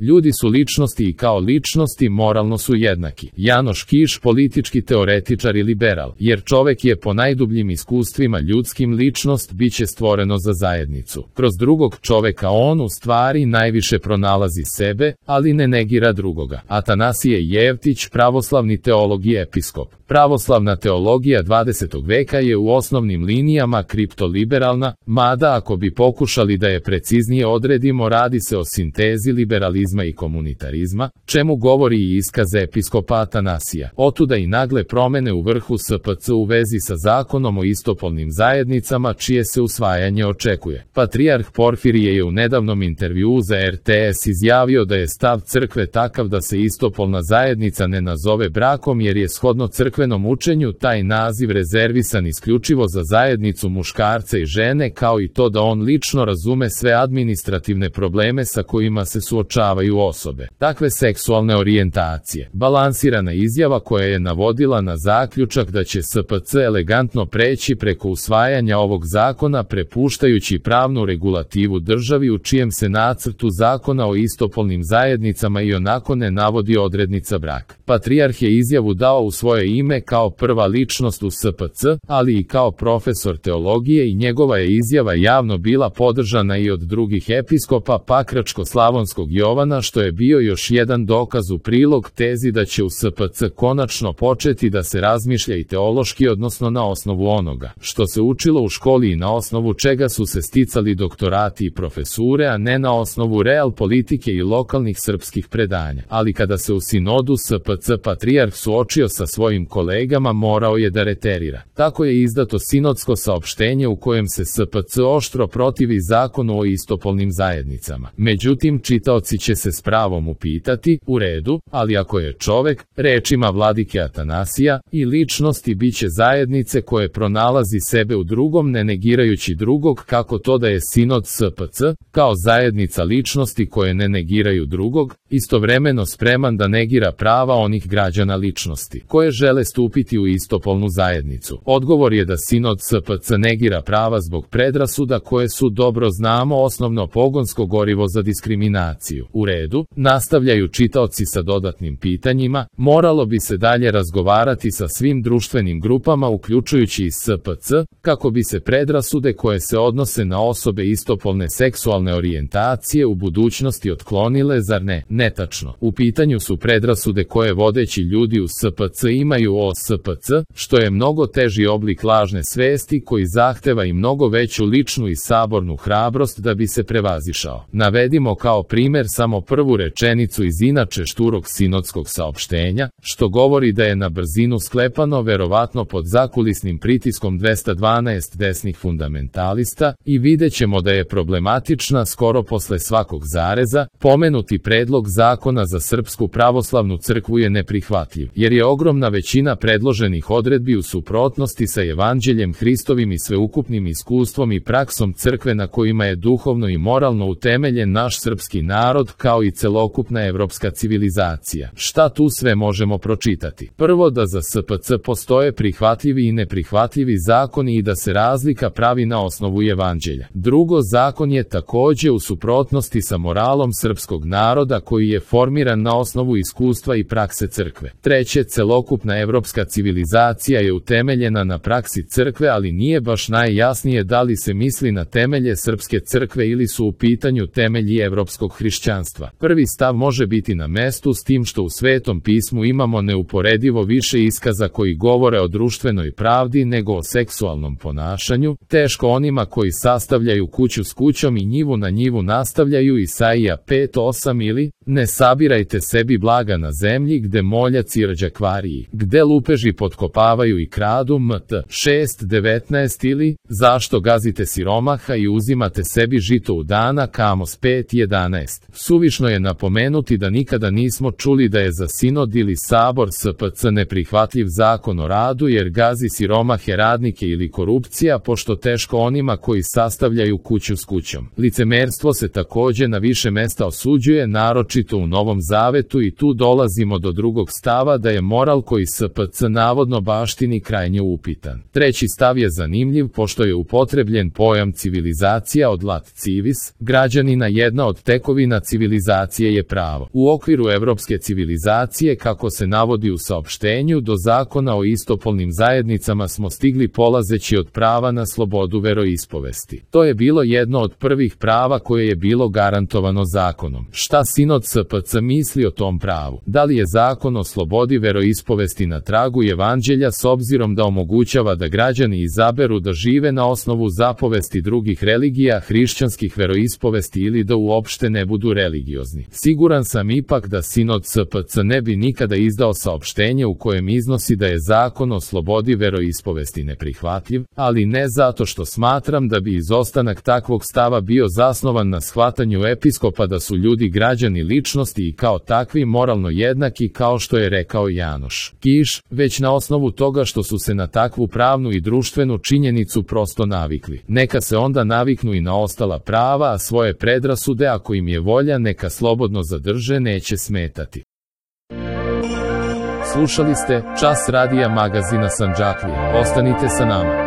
Ljudi su ličnosti i kao ličnosti moralno su jednaki. Janoš Kiš, politički teoretičar i liberal, jer čovek je po najdubljim iskustvima ljudskim ličnost, biće stvoreno za zajednicu. Kroz drugog čoveka on u stvari najviše pronalazi sebe, ali ne negira drugoga. Atanasije Jevtić, pravoslavni teolog i episkop. Pravoslavna teologija 20. veka je u osnovnim linijama kriptoliberalna, mada ako bi pokušali da je preciznije odredimo, radi se o sintezi liberalizma i komunitarizma, čemu govori i iskaz episkopa Atanasija. Otuda i nagle promene u vrhu SPC u vezi sa zakonom o istopolnim zajednicama, čije se usvajanje očekuje. Patrijarh Porfirije je u nedavnom intervjuu za RTS izjavio da je stav crkve takav da se istopolna zajednica ne nazove brakom, jer je shodno crkvenom učenju taj naziv rezervisan isključivo za zajednicu muškarca i žene, kao i to da on lično razume sve administrativne probleme sa kojima se suočavaju osobe takve seksualne orijentacije. Balansirana izjava koja je navodila na zaključak da će SPC elegantno preći preko usvajanja ovog zakona, prepuštajući pravnu regulativu državi u čijem se nacrtu zakona o istopolnim zajednicama i onako ne navodi odrednica brak. Patrijarh je izjavu dao u svoje ime kao prva ličnost u SPC, ali i kao profesor teologije, i njegova je izjava javno bila podržana i od drugih episkopa Pakračko-slavonskog Jovana, što je bio još jedan dokaz u prilog tezi da će u SPC konačno početi da se razmišlja i teološki, odnosno na osnovu onoga što se učilo u školi i na osnovu čega su se sticali doktorati i profesure, a ne na osnovu real politike i lokalnih srpskih predanja. Ali kada se u sinodu SPC patrijarh suočio sa svojim kolegama, morao je da reterira. Tako je izdato sinodsko saopštenje u kojem se SPC oštro protivi zakonu o istopolnim zajednicama. Međutim, čitaoci će se s pravom upitati, u redu, ali ako je čovek, rečima vladike Atanasija, i ličnosti biće zajednice koje pronalazi sebe u drugom ne negirajući drugog, kako to da je sinod SPC, kao zajednica ličnosti koje ne negiraju drugog, istovremeno spreman da negira prava onih građana ličnosti koje žele stupiti u istopolnu zajednicu? Odgovor je da sinod SPC negira prava zbog predrasuda koje su, dobro znamo, osnovno pogonsko gorivo za diskriminaciju. U redu, nastavljaju čitaoci sa dodatnim pitanjima, moralo bi se dalje razgovarati sa svim društvenim grupama uključujući i SPC, kako bi se predrasude koje se odnose na osobe istopolne seksualne orijentacije u budućnosti otklonile, zar ne? Netačno. U pitanju su predrasude koje vodeći ljudi u SPC imaju o SPC, što je mnogo teži oblik lažne svesti koji zahteva i mnogo veću ličnu i sabornu hrabrost da bi se prevazišao. Navedimo kao primer samo prvu rečenicu iz inače šturog sinodskog saopštenja, što govori da je na brzinu sklepano, verovatno pod zakulisnim pritiskom 212 desnih fundamentalista, i videćemo da je problematična skoro posle svakog zareza. Pomenuti predlog zakona za Srpsku pravoslavnu crkvu je neprihvatljiv, jer je ogromna većina predloženih odredbi u suprotnosti sa Evanđeljem Hristovim i sveukupnim iskustvom i praksom crkve na kojima je duhovno i moralno utemeljen naš srpski narod, kao i celokupna evropska civilizacija. Šta tu sve možemo pročitati? Prvo, da za SPC postoje prihvatljivi i neprihvatljivi zakoni i da se razlika pravi na osnovu Evanđelja. Drugo, zakon je takođe u suprotnosti sa moralom srpskog naroda koji je formiran na osnovu iskustva i prakse crkve. Treće, celokupna evropska civilizacija je utemeljena na praksi crkve, ali nije baš najjasnije da li se misli na temelje srpske crkve ili su u pitanju temelji evropskog hrišćanstva. Prvi stav može biti na mestu, s tim što u Svetom pismu imamo neuporedivo više iskaza koji govore o društvenoj pravdi nego o seksualnom ponašanju. Teško onima koji sastavljaju kuću s kućom i njivu na njivu nastavljaju Isaija 5:8 ili ne sabirajte sebi blaga na zemlji gde moljac i rđakvariji, gde lupeži potkopavaju i kradu Mt. 6:19 ili zašto gazite siromaha i uzimate sebi žito u dana Kamos 5:11. Suvišno je napomenuti da nikada nismo čuli da je za sinod ili sabor SPC neprihvatljiv zakon o radu jer gazi siromahe, radnike ili korupcija, pošto teško onima koji sastavljaju kuću s kućom. Licemerstvo se takođe na više mesta osuđuje, naročito u Novom Zavetu, i tu dolazimo do drugog stava da je moral koji SPC SPC navodno baštini krajnje upitan. Treći stav je zanimljiv pošto je upotrebljen pojam civilizacija od lat civis, građanina. Jedna od tekovina civilizacije je pravo. U okviru evropske civilizacije, kako se navodi u saopštenju, do zakona o istopolnim zajednicama smo stigli polazeći od prava na slobodu veroispovesti. To je bilo jedno od prvih prava koje je bilo garantovano zakonom. Šta Sinod SPC misli o tom pravu? Da li je zakon o slobodi veroispovesti na tragu evanđelja s obzirom da omogućava da građani izaberu da žive na osnovu zapovesti drugih religija, hrišćanskih veroispovesti ili da uopšte ne budu religiozni? Siguran sam ipak da Sinod SPC ne bi nikada izdao saopštenje u kojem iznosi da je zakon o slobodi veroispovesti neprihvatljiv, ali ne zato što smatram da bi izostanak takvog stava bio zasnovan na shvatanju episkopa da su ljudi građani ličnosti i kao takvi moralno jednaki kao što je rekao Janoš Kiš, već na osnovu toga što su se na takvu pravnu i društvenu činjenicu prosto navikli. Neka se onda naviknu i na ostala prava, a svoje predrasude, ako im je volja, neka slobodno zadrže, neće smetati. Slušali ste Čas radija magazina Sandžaklije. Ostanite sa nama.